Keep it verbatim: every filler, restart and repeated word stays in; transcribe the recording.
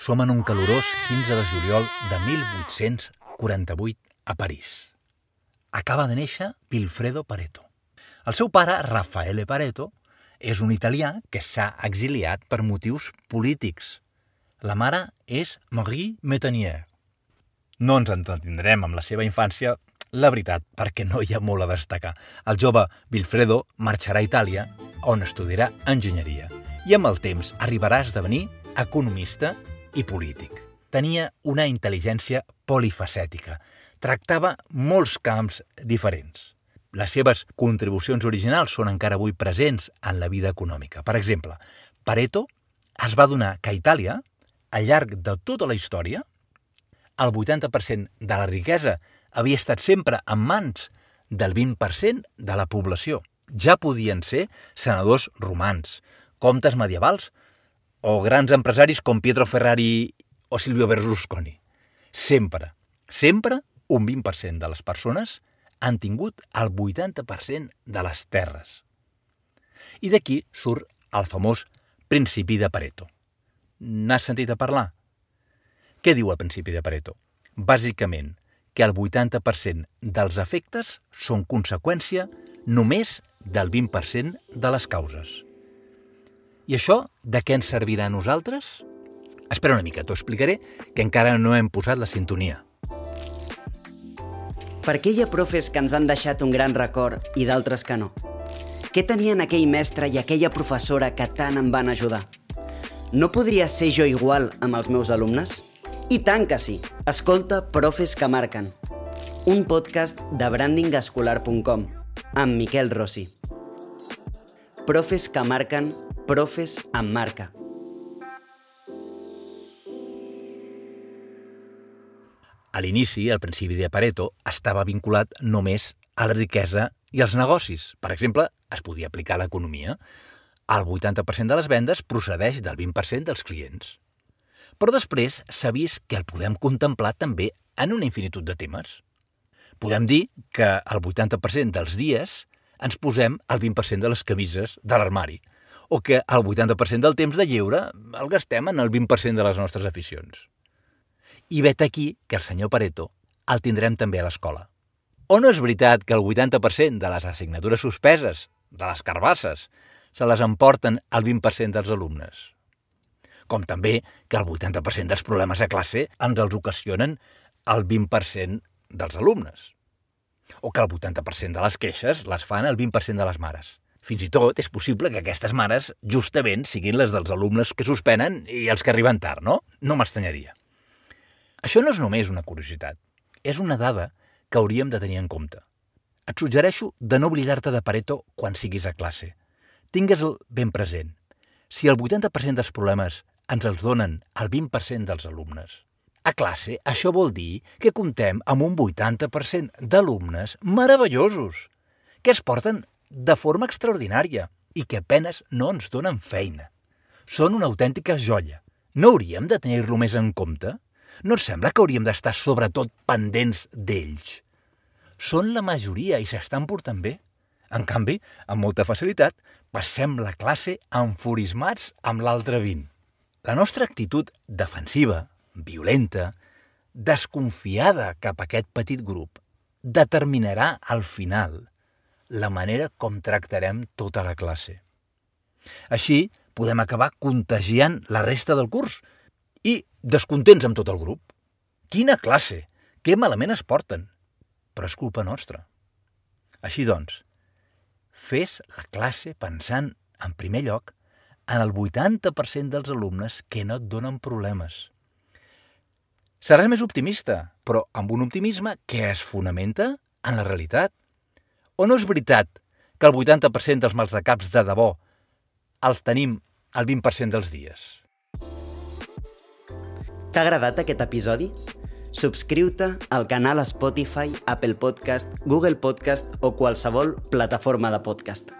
Som en un calorós quinze de juliol de mil vuit-cents quaranta-vuit a París. Acaba de néixer Vilfredo Pareto. El seu pare, Raffaele Pareto, és un italià que s'ha exiliat per motius polítics. La mare és Marie Métanière. No ens entretindrem amb la seva infància, la veritat, perquè no hi ha molt a destacar. El jove Vilfredo marxarà a Itàlia, on estudiarà enginyeria, i amb el temps arribarà a esdevenir economista i polític. Tenia una intel·ligència polifacètica. Tractava molts camps diferents. Les seves contribucions originals són encara avui presents en la vida econòmica. Per exemple, Pareto es va adonar que a Itàlia, al llarg de tota la història, el vuitanta per cent de la riquesa havia estat sempre en mans del vint per cent de la població. Ja podien ser senadors romans, comtes medievals o grans empresaris com Pietro Ferrari o Silvio Berlusconi. Sempre, sempre un vint per cent de les persones han tingut el vuitanta per cent de les terres. I d'aquí surt el famós principi de Pareto. N'has sentit a parlar? Què diu el principi de Pareto? Bàsicament, que el vuitanta per cent dels efectes són conseqüència només del vint per cent de les causes. I això de què ens servirà a nosaltres? Espera una mica, t'ho explicaré, que encara no hem posat la sintonia. Per què hi ha profes que ens han deixat un gran record i d'altres que no? Què tenien aquell mestre i aquella professora que tant em van ajudar? No podria ser jo igual amb els meus alumnes? I tant que sí! Escolta Profes que marquen, un podcast de branding escolar punt com amb Miquel Rossi. Profes que marquen, profes amb marca. A l'inici, el principi de Pareto estava vinculat només a la riquesa i als negocis. Per exemple, es podia aplicar a l'economia. El vuitanta per cent de les vendes procedeix del vint per cent dels clients. Però després s'ha vist que el podem contemplar també en una infinitud de temes. Podem dir que el vuitanta per cent dels dies ens posem el vint per cent de les camises de l'armari, o que el vuitanta per cent del temps de lleure el gastem en el vint per cent de les nostres aficions. I vet aquí que el senyor Pareto el tindrem també a l'escola. O no és veritat que el vuitanta per cent de les assignatures suspeses, de les carbasses, se les emporten el vint per cent dels alumnes? Com també que el vuitanta per cent dels problemes a classe ens els ocasionen el vint per cent dels alumnes. O que el vuitanta per cent de les queixes les fan el vint per cent de les mares. Fins i tot és possible que aquestes mares justament siguin les dels alumnes que suspenen i els que arriben tard, no? No m'estranyaria. Això no és només una curiositat, és una dada que hauríem de tenir en compte. Et suggereixo de no oblidar-te de Pareto quan siguis a classe. Tingues-el ben present. Si el vuitanta per cent dels problemes ens els donen el vint per cent dels alumnes, a classe això vol dir que comptem amb un vuitanta per cent d'alumnes meravellosos, que es porten de forma extraordinària i que apenes no ens donen feina. Són una autèntica joia. No hauríem de tenir-lo més en compte? No et sembla que hauríem d'estar sobretot pendents d'ells? Són la majoria i s'estan portant bé. En canvi, amb molta facilitat, passem la classe enfurismats amb l'altre vint. La nostra actitud defensiva, violenta, desconfiada cap a aquest petit grup, determinarà al final la manera com tractarem tota la classe. Així, podem acabar contagiant la resta del curs i descontents amb tot el grup. Quina classe! Que malament es porten! Però és culpa nostra. Així doncs, fes la classe pensant, en primer lloc, en el vuitanta per cent dels alumnes que no et donen problemes. Seràs més optimista, però amb un optimisme que es fonamenta en la realitat. O no és veritat que el vuitanta per cent dels mals de caps de debò els tenim el vint per cent dels dies? T'ha agradat aquest episodi? Subscriu-te al canal Spotify, Apple Podcast, Google Podcast o qualsevol plataforma de podcast.